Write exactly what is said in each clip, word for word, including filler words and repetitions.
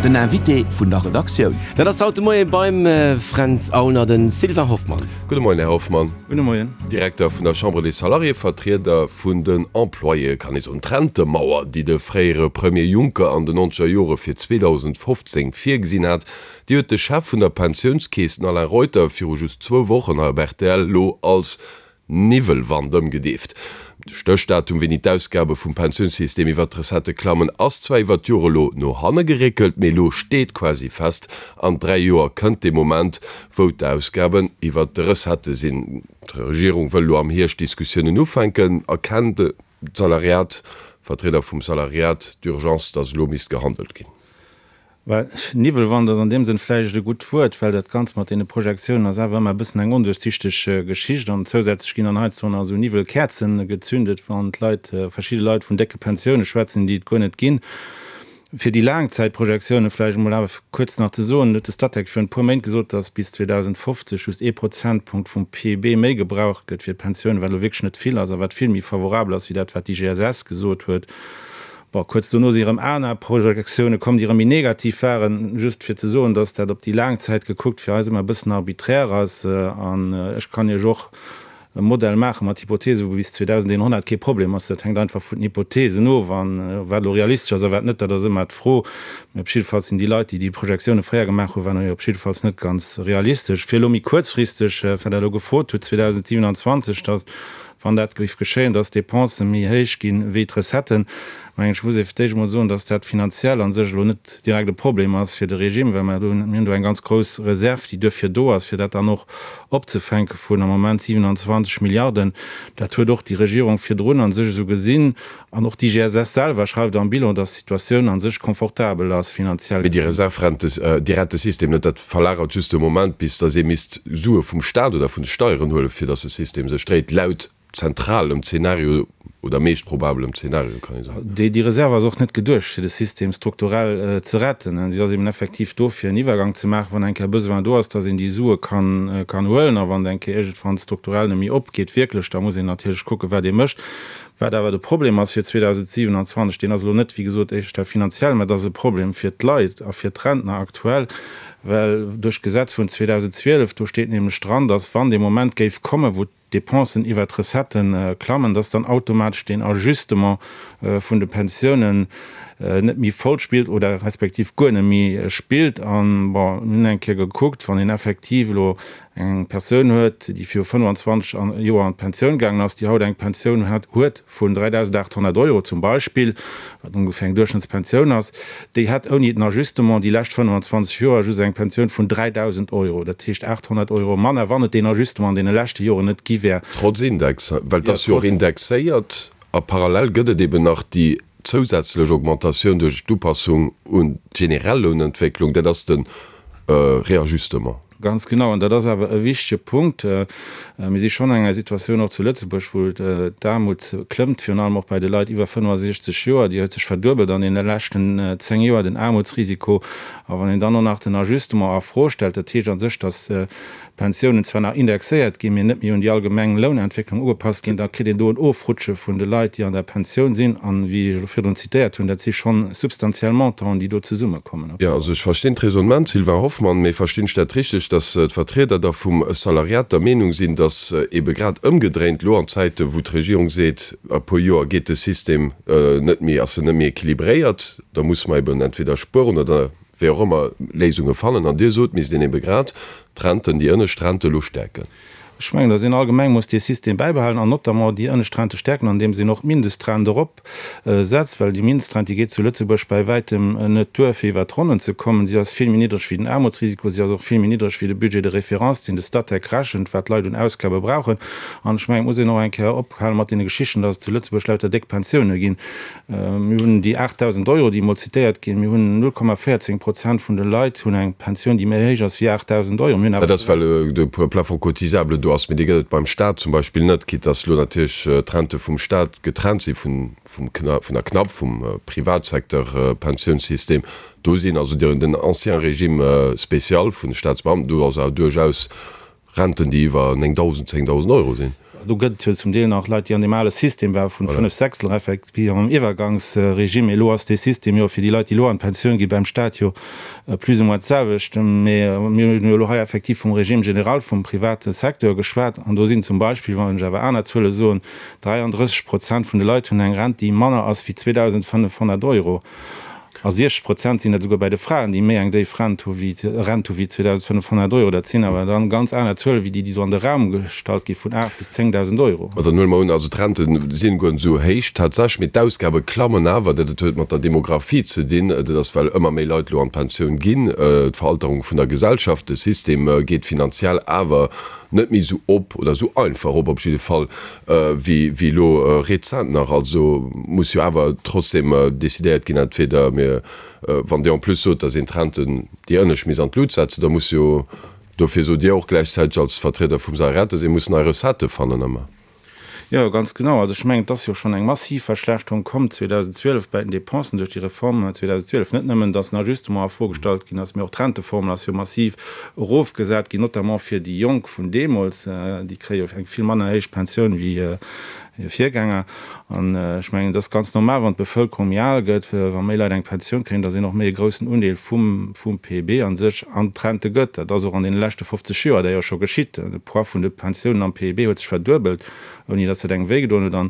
Den Invité vun der Redaktioun. Dat ass haut de Moie beim Fränz Aulner de Sylvain Hoffmann. Gudde Moien, Här Hoffmann. Gudde Moien. Direkter vun der Chambre des Salariés, Vertrieder vun den Employéë, kann ee soen. D'Rentemauer, déi de fréiere Premier Juncker an den nonzeger Jore fir zweedausendfofzéng virgesinn hat, déi huet de Chef vun der Pensiounskeess, den Alain Reuter, viru just zwou Wochen hei op rtl elo als Niwwelwand ëmgedeeft. De Stéchdatum, wéini d'Ausgabe vum Pensiounssystem iwwer d'Recettë klammen, ass zwar iwwer d'Jore elo no hanne geréckelt, mee elo steet quasi fest, an dräi Joer kënnt dee Moment, wou d'Ausgaben iwwer de Recettë sinn. D'Regierung wëll elo am Hierscht Diskussiounen ufänken. Erkennt d'Salariat, d'Vertrieder vum Salariat d'Urgence, datt elo misst gehandelt ginn? Well Niwwelwand ass an deem Sënn vläicht e gutt Wuert, well dat Ganzt mat deene Projektiounen ass awer ëmmer e bëssen eng onduerchsichteg Geschicht. An zousätzlech ginn dann heiansdo nach esou Niwwelkäerzen gezündet, wann d'Leit, verschidde Leit vun décke Pensioune schwätzen, déi et guer net ginn. Fir déi Laangzäitprojektioune vläicht emol awer kuerz nach ze soen, huet de Statec virun e puer Méint gesot, datt bis zweedausendfofzeg just ee Prozentpunkt vum P I B méi gebraucht gëtt fir d'Pensiounen, wat elo wierklech net vill ass a wat vill méi favorabel ass wéi dat, wat d'I G S S gesot huet. Bon, kuerz dono si erëm aner Projektioune komm, déi erëm méi negativ waren. Just fir ze soen, dass dat op déi laang Zäit gekuckt fir eis ëmmer e bëssen arbiträr ass. An ech kann Iech och e Modell maache mat Hypothese wou bis zweedausendeenhonnert kee Problem ass. Dat hänkt einfach vun den Hypothesen of. An wat elo realistesch ass a wat net, dat ass ëmmer d'Fro. Mee op jiddefalls sinn déi Leit, déi déi Projektioune fréier gemaach hunn, waren jo op jiddefalls net ganz realistesch. Fir elo méi kuerzfristeg, well Der elo gefrot hutt, zweedausendsiewenanzwanzeg, dass, wann dat géif geschéien, dass d'Dépensen méi héich ginn wéi d'Recetten, mengen ech, muss ee fir d'éischt emol soen, dass dat finanziell a sech elo net direkt e Problem ass fir de Regime, well mer do, mir hunn do eng ganz grouss Reserv, déi duerfir do ass, fir dat dann och opzefänke vun am Moment siewenanzwanzeg Milliarden. Dat huet och déi Regierung virdrun a sech esou gesinn an och d'I G S S selwer schreift am Bilan, dass d'Situatioun a sech confortabel ass finanziell. Mee déi Reserv rent de Rentesystem net, dat verlagert just de Moment, bis dass ee misst Sue vum Staat oder vun de Steieren huelen, fir dass de System sech dréit, laut zentralem Zeenario oder meescht probabelem Zeenario, kann ee soen. Déi déi Reserv ass och net geduecht, fir de System strukturell ze retten. Si ass eben effektiv do, fir en Iwwergang ze maachen, wann eng Kéier Besoin do ass, dass een déi Sue kann kann huelen. A wann eng Kéier iergendwann strukturell net méi opgeet wierklech, da muss een natierlech kucken, wat ee mécht. Wat awer de Problem ass fir zweedausendsiewenanzwanzeg, deen ass elo net, wéi gesot, éischter finanziell, mä et ass e Problem fir d'Leit a fir d'Rentner aktuell, well duerch d'Gesetz vun zweedausendzwielef, do steet nämlech dran, dass wann dee Moment géif kommen, wou d'Dépensen iwwer d'Recetten klammen, dass dann automatesch den Ajustement vun de Pensiounen net méi voll spillt oder respektiv guer net méi spillt. An, bon, mir hunn eng Kéier gekuckt, wann een effektiv elo eng Persoun huet, déi viru fënnfanzwanzeg Joer an d'Pensioun gaangen ass, déi haut eng Pensioun hat, huet vun dräidausendaathonnert Euro zum Beispill, wat ongeféier eng Duerchschnëttspensioun ass, déi hätt ouni den Ajustement déi lescht fënnfanzwanzeg Joer just eng Pensioun vun dräidausend Euro, dat heescht aathonnert Euro manner, wann et deen Ajustement an deene leschte Joren net gi wär. Trotz Index, well et ass jo och indexéiert a parallel gëtt et eben nach déi zousätzlech Augmentatioun duerch d'Upassung un d'generell Lounentwécklung, dat ass de Réajustement. Ganz genau, an dat ass awer e wichtege Punkt. Mir si schonn an enger Situatioun och zu Lëtzebuerg, wou d'Aarmut klëmmt, virun allem och bei de Leit iwwer fënnefasechzeg Joer. Déi huet sech verduebelt an deene leschten zéng Joer, den Aarmutsrisiko. A wann een dann och nach den Ajustement a Fro stellt, dat heescht a sech, datt d'Pensiounen zwar nach indexéiert ginn, mee net méi un déi allgemeng Lounentwécklung ugepasst ginn, da kritt een do en Ofrutsche vun de Leit, déi an der Pensioun sinn. An, wéi ech elo virdrun zitéiert hunn, dat si schonn substantiell Montanten, déi do zesummekommen. Jo, also ech verstinn d'Raisonnement, Sylvain Hoffmann, mee verstinn ech dat richteg, datt d'Vertrieder da vum Salariat der Meenung sinn, datt ebe grad ëmgedréint elo an Zäite wou d'Regierung seet, a puer Joer geet de System net méi, ass en net méi équilibréiert, da musse mer eben entweder spueren oder wéi och ëmmer Léisunge fannen, an Dir sot, misst een ebe grad d'Renten, déi ënnescht Rente elo stäerken. Ech mengen, datt een allgemeng muss dee System bäibehalen an notamment déi ënnescht Rente stäerken, andeems een och d'Mindestrent erop setzt, well déi Mindestrent, déi geet zu Lëtzebuerg bäi wäitem net duer, fir iwwer d'Ronnen ze kommen. Si ass vill méi niddreg wéi den Aarmutsrisiko, si ass och vill méi niddreg wéi de Budget de référence, deen de Statec rechent, wat d'Leit un Ausgabe brauchen. An ech mengen, et muss een och eng Kéier ophale mat deene Geschichten, datt et zu Lëtzebuerg lauter déck Pensioune ginn. Mir hunn déi aachtdausend Euro, déi emol zitéiert ginn. Mir hunn null Komma véierzéng Prozent vun de Leit hunn eng Pensioun, déi méi héich ass wéi aachtdausend Euro. Mir hunn awer. Dat ass, well de Plafond cotisable do ass, mee dee gëtt et beim Staat zum Beispill net, quitte dass elo natierlech d'Rente vum Staat getrennt si vun vum vun der CNAP, vum Privatsecteur Pensiounssystem. Do sinn also den ancien Régime spécial vun de Staatsbeamten, do ass awer duerchaus Renten, déi iwwer néngdausend, zéngdausend Euro sinn. Do gëtt et jo zum Deel nach Leit, déi an deem ale System ware vun fënnef Sechstel respektiv am Iwwergangsregime. Mee elo ass dee System jo fir déi Leit, déi elo an d'Pensioun gi beim Stat jo plus ou moins d'selwecht. Mee mir hunn jo elo hei effektiv vum Régime général vum private Secteur geschwat. An do sinn zum Beispill, wann ech awer aner Zuele soen, dräiandrësseg Prozent vun de Leit hunn eng Rent, déi manner ass wéi zweedausendfënnefhonnert Euro. A siechzeg Prozent sinn dat esouguer bäi de Fraen, déi méi eng déif Rent hu wéi Rent hu wéi zweedausendfënnefhonnert Euro. Dat sinn awer dann ganz aner Zuele wéi déi, déi do an de Raum gestallt gi vun aacht bis zéngdausend Euro. Ma dann huele mer un, also d'Rente sinn guer net esou héich tatsächlech, mee d'Ausgabe klammen awer. Dat huet mat der Demografie ze dinn. Dat ass, well ëmmer méi Leit elo an d'Pensioun ginn, d'Veralterung vun der Gesellschaft. De System geet finanziell awer net méi esou op oder esou einfach op, op jidde Fall wéi wéi elo rezent nach. Also muss jo awer trotzdem decidéiert ginn, entweder mir, wann Dir en plus sot, datt een d'Renten, déi ënnescht misst an d'Lut setzen, da muss jo, dofir sot Dir och gläichzäiteg als Vertrieder vum Salariat, datt ee muss nei Recettë fannen ëmmer. Jo, ganz genau. Also ech mengen, et ass jo schonn eng massiv Verschlechterung komm zweedausendzwielef bäi den Dépensen duerch déi Reform zweedausendzwielef. Net nëmmen, datt den Ajustement a Fro gestallt ginn ass, mee och d'Renteformel ass jo massiv erofgesat ginn, notamment fir déi Jonk vun deemools. Déi kréie jo eng vill manner héich Pensioun wéi hir Virgänger. An ech mengen, et ass ganz normal, wann d'Bevëlkerung méi al gëtt, wa méi Leit eng Pensioun kréien, datt een och méi e groussen Undeel vum P I B a sech an d'Rente gëtt. Dat ass och an deene leschte fofzeg Joer d'ailleurs scho geschitt. De Poids vun de Pensiounen am P I B huet sech verduebelt, ouni dass dat engem wéi gedoen huet. An,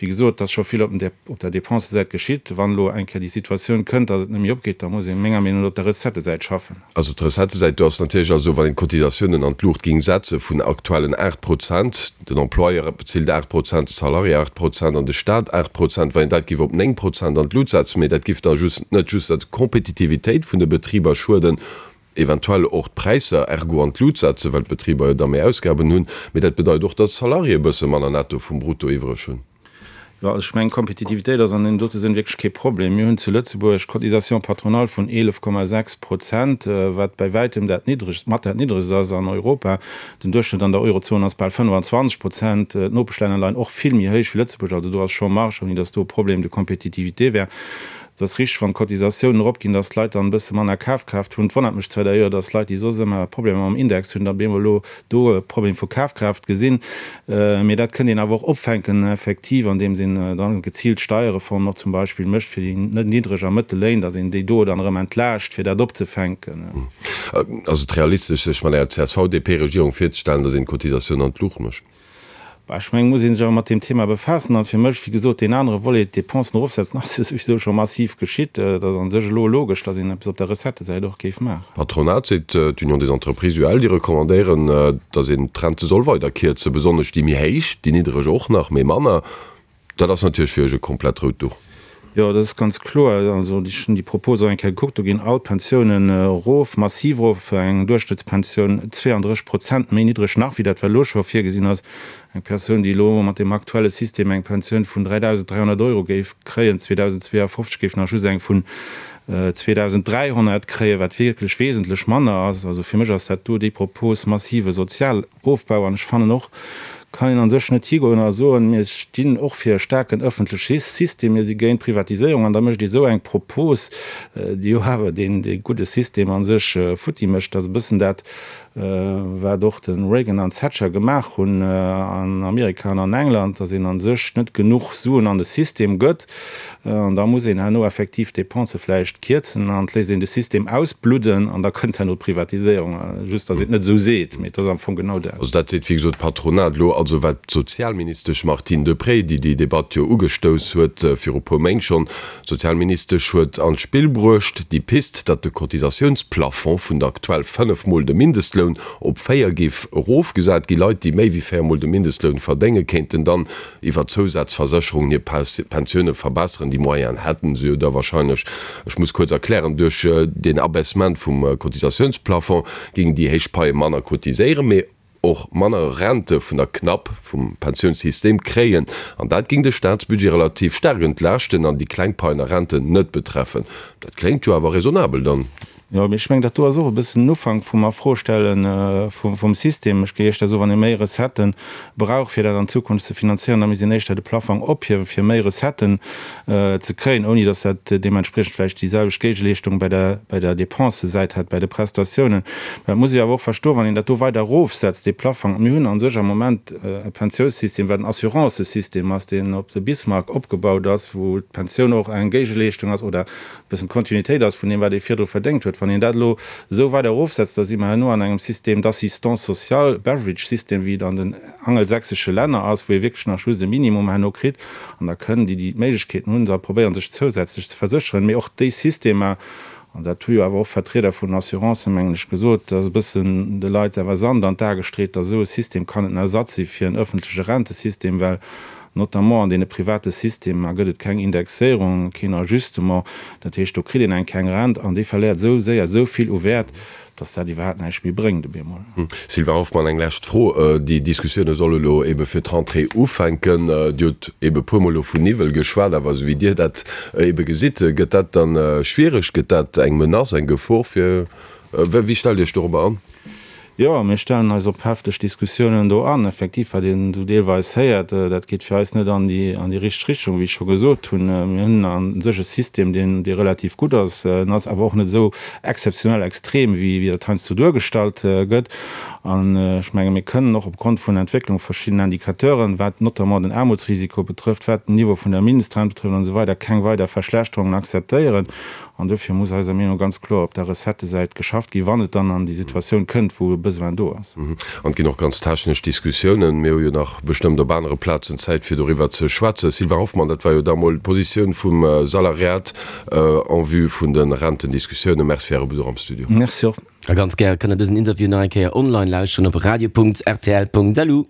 wéi gesot, et ass scho vill op der Dépensesäit geschitt. Wann elo eng Kéier déi Situatioun kënnt, dass et net méi opgeet, da muss ee menger Meenung no op der Recettësäit schaffen. Also d'Recettësäit, do ass natierlech, also wann een d'Cotisatiounen an d'Luucht géing setze vun aktuellen aacht Prozent, den Employeur bezilt aacht Prozent, de Salarié aacht Prozent an de Stat aacht Prozent, wann een dat géif op néng Prozent an d'Lut setzen, mee dat géif da just net just der Kompetitivitéit vun de Betriber schueden, eventuell och d'Präisser ergo an d'Lut setzen, well d'Betriber jo da méi Ausgaben hunn, mee dat bedeit och, datt d'Salariéë e bësse manner netto vum Brutto iwwreg hunn. Jo, also ech mengen, Kompetitivitéit ass an deem dote Sënn wierklech kee Problem. Mir hunn zu Lëtzebuerg Cotisation patronale vun eelef Komma sechs Prozent, wat bäi wäitem dat niddregst, mat dat niddregst ass an Europa. Den Duerchschnëtt an der Eurozon ass bal fënnefanzwanzeg Prozent. D'Nopeschlänner leien och vill méi héich wéi Lëtzebuerg. Also do ass scho Marge, ouni datt do e Problem de compétitivité wär. Et ass richteg, wann d'Cotisatiounen eropginn, datt d'Leit dann e bësse manner Kafkraaft hunn. Et wonnert mech zwar d'ailleurs, datt Leit, déi soss ëmmer Problemer mam Index hunn, da bemol elo do e Problem vu Kafkraaft gesinn. Mee dat kënnt een awer och opfänken, effektiv, andeems een dann geziilt Steierreformen och zum Beispill mécht fir déi niddreg a mëttel Léin, datt een déi do dann erëm entlaascht, fir dat opzefänken. Ass et realistesch, sech mat enger C S V-D P-Regierung virzestellen, datt een d'Cotisatiounen an d'Luucht mécht? Bah, ech mengen, muss ee sech awer mat deem Thema befaassen. An fir mech, wéi gesot, deen anere Volet, d'Dépensen erofsetzen, ass jo souwisou scho massiv geschitt. Et ass a sech elo logesch, datt een eppes op der Recettësäit och géif maachen. D'Patronat seet, d'Union des entreprises, U E L, déi recommandéieren, datt een d'Rente soll weider kierzen, besonnesch déi méi héich, déi niddreg och nach, mee manner. Dat ass natierlech fir iech e komplett rout Duch. Jo, dat ass ganz kloer. Also ech hunn déi Propos och eng Kéier gekuckt, do ginn all d'Pensiounen erof, massiv erof, eng Duerchschnëttspensioun zweeandrësseg Prozent méi niddreg nach wéi dat wat elo scho virgesinn ass. Eng Persoun, déi elo mat deem aktuelle System eng Pensioun vun dräidausend dräihonnert Euro géif kréien zweedausendzweeafofzeg, géif nach just eng vun zweedausenddräihonnert kréien, wat wierklech wesentlech manner ass. Also fir mech ass dat do déi Propos massive Sozialofbau. An ech fannen och, kann een a sech net higoen a soen, mir stinn och fir e staarken ëffentleche System, mir si géint d'Privatiséierung, an da mécht ee sou eng Propos, déi jo awer deen dee gudde System a sech futti mécht. Dat ass e bëssen dat, wat och de Reagan an d'Thatcher gemaach hunn an Amerika an an England, datt een a sech net genuch Suen an de System gëtt, an da muss een herno effektiv d'Dépensë vläicht kierzen an et léisst een de System ausbludden an da kënnt herno d'Privatiséierung. Just datt een et net esou seet, mee et ass am Fong genau dat. Also dat seet wéi gesot d'Patronat elo. Also wat d'Sozialministesch Martine Deprez, déi déi Debatt jo ugestouss huet viru puer Méint schonn, d'Sozialministesch huet an d'Spill bruecht, déi Pist, datt de Cotisatiounsplafond vun der aktuell fënnef Mol de Mindestloun op véier géif erofgesat ginn. Leit, déi méi wéi véier Mol de Mindestloun verdéngen, kéinten dann iwwer Zousazversécherungen hir Pensioune verbesseren. Déi Moyenen hätten se jo da wahrscheinlech. Ech muss kuerz erklären, Duerch deen Abaissement vum Cotisatiounsplafond géingen déi héich Paie manner cotiséieren, mee och manner Rente vun der Knapp vum Pensiounssystem kréien. An dat géing de Staatsbudget relativ staark entlaaschten an déi kleng Paien a Renten net betreffen. Dat kléngt jo awer raisonnabel dann. Jo, mee ech mengen, dat do ass och e bëssen en Ufank vum Afrostelle vum System. Ech géif éischter soen, wann ee méi Recettë brauch, fir dat an Zukunft ze finanzéieren, da misst een éischter de Plaffong ophiewen, fir méi Recetten ze kréien, ouni datt dat deementspriechend vläicht déi selwecht Géigeleeschtung bei der, bei der Dépensesäit hätt, bei de Prestatiounen. Mä et muss ee awer och verstoen, wann een dat do weider erofsetzt, dee Plaffong, mir hunn a sech am Moment e Pensiounssystem, wat en Assurancesystem ass, deen op de Bismarck opgebaut ass, wou d'Pensioun och eng Géigeleeschtung ass oder e bëssen d'Kontinuitéit ass vun deem, wat ee virdru verdéngt huet. Wann een dat elo esou weider erofsetzt, da si mer herno an engem System d'assistance sociale, Beveridge-System, wéi et an den angelsächsesche Länner ass, wou ee wierklech nach just e Minimum herno kritt. An da kënnen déi, déi d'Méiglechkeeten hunn, da probéieren, sech zousätzlech ze versécheren. Mee och déi Systemer, an dat hu jo awer och Vertrieder vun den Assurancen, mengen ech, gesot, dass e bëssen de Leit awer Sand an d'A gestreet, dass esou e System kann net en Ersatz si fir en öffentleche Rentesystem, well notamment an deene private Systemer gëtt et keng Indexéierung, keen Ajustement. Dat heescht, do kritt een eng keng Rent an déi verléiert esou séier esou vill u Wäert, dass dat iwwerhaapt näischt méi bréngt op eemol. Sylvain Hoffmann, eng lescht Fro. Déi Diskussioune solle lo ebe fir d'Rentrée ufänken. Dir hutt ebe puermol elo vun Niwwel geschwat, awer esou wéi Dir dat ebe gesitt, gëtt dat dann schwiereg? Gëtt dat eng Menace, eng Gefor fir, wéi stellt Dir Iech dorobber an? Jo, mir stellen eis op hefteg Diskussiounen do an. Effektiv, wat een esou deelweis héiert, dat geet fir eis net an déi, an déi richteg Richtung, wéi ech scho gesot hunn. Mir hunn a sech e System, deen, dee relativ gutt ass. En ass awer och net esou exzeptionell extrem, wéi, wéi dat heiansdo duergestallt gëtt. An ech menge mir kënnen och opgrond vun der Entwécklung verschidden Indicateuren, wat notamment den Aarmutsrisiko betrëfft, wat den Niveau vun der Mindestrent betrëfft an esou weider, keng weider Verschlechterungen akzeptéieren. An dofir muss eiser Meenung no ganz kloer op der Recettësäit geschafft ginn, wann et dann an déi Situatioun kënnt, wou e Besoin do ass. An et ginn och ganz technesch Diskussiounen. Mir hu jo nach bestëmmt op anere Plazen Zäit, fir doriwwer ze schwätzen. Sylvain Hoffmann, dat war jo da mol d'Positioun vum Salariat en vue vun de Rentendiskussiounen. Merci fir Äre Besuch am Studio. Merci och. A ganz gär kënnt der dësen Interview nach eng Kéier online lauschteren op radio.rtl.lu.